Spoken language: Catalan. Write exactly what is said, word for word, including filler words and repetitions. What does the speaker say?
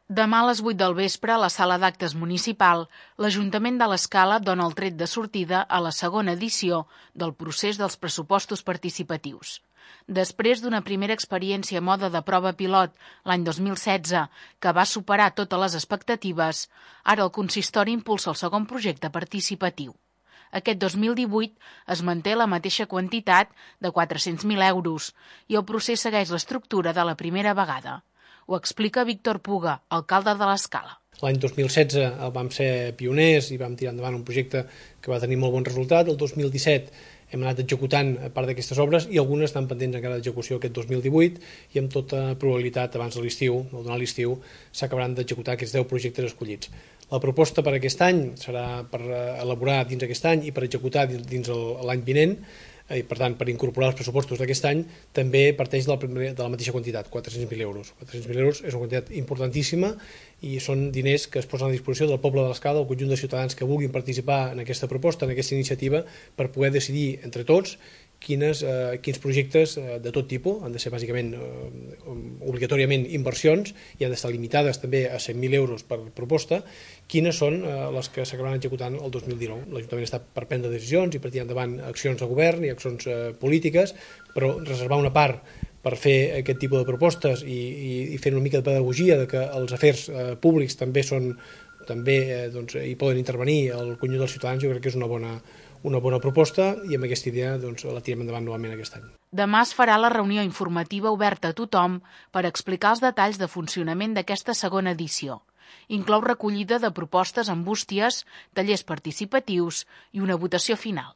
Demà a les vuit del vespre, a la sala d'actes municipal, l'Ajuntament de l'Escala dona el tret de sortida a la segona edició del procés dels pressupostos participatius. Després d'una primera experiència a mode de prova pilot l'any dos mil setze, que va superar totes les expectatives, ara el consistori impulsa el segon projecte participatiu. Aquest dos mil divuit es manté la mateixa quantitat de quatre-cents mil euros i el procés segueix l'estructura de la primera vegada. Ho explica Víctor Puga, alcalde de l'Escala. L'any dos mil setze vam ser pioners i vam tirar endavant un projecte que va tenir molt bon resultat. El dos mil disset hem anat executant part d'aquestes obres i algunes estan pendents encara d'execució aquest dos mil divuit i amb tota probabilitat abans de l'estiu, o durant l'estiu, s'acabaran d'executar aquests deu projectes escollits. La proposta per aquest any serà per elaborar dins aquest any i per executar dins l'any vinent, i per tant per incorporar els pressupostos d'aquest any també parteix de la, de la mateixa quantitat, quatre-cents mil euros. quatre-cents mil euros és una quantitat importantíssima i són diners que es posen a disposició del poble de l'Escala, del conjunt de ciutadans que vulguin participar en aquesta proposta, en aquesta iniciativa, per poder decidir entre tots quines, eh, quins projectes eh, de tot tipus, han de ser bàsicament eh, obligatòriament inversions i han d'estar limitades també a cent mil euros per proposta, quines són eh, les que s'acabaran executant el dos mil dinou. L'Ajuntament està per prendre decisions i per tirar endavant accions de govern i accions eh, polítiques, però reservar una part per fer aquest tipus de propostes i, i, i fer una mica de pedagogia de que els afers eh, públics també són també eh, doncs, hi poden intervenir el conjunt dels ciutadans, jo crec que és una bona, una bona proposta i amb aquesta idea doncs, la tirem endavant novament aquest any. Demà es farà la reunió informativa oberta a tothom per explicar els detalls de funcionament d'aquesta segona edició. Inclou recollida de propostes amb bústies, tallers participatius i una votació final.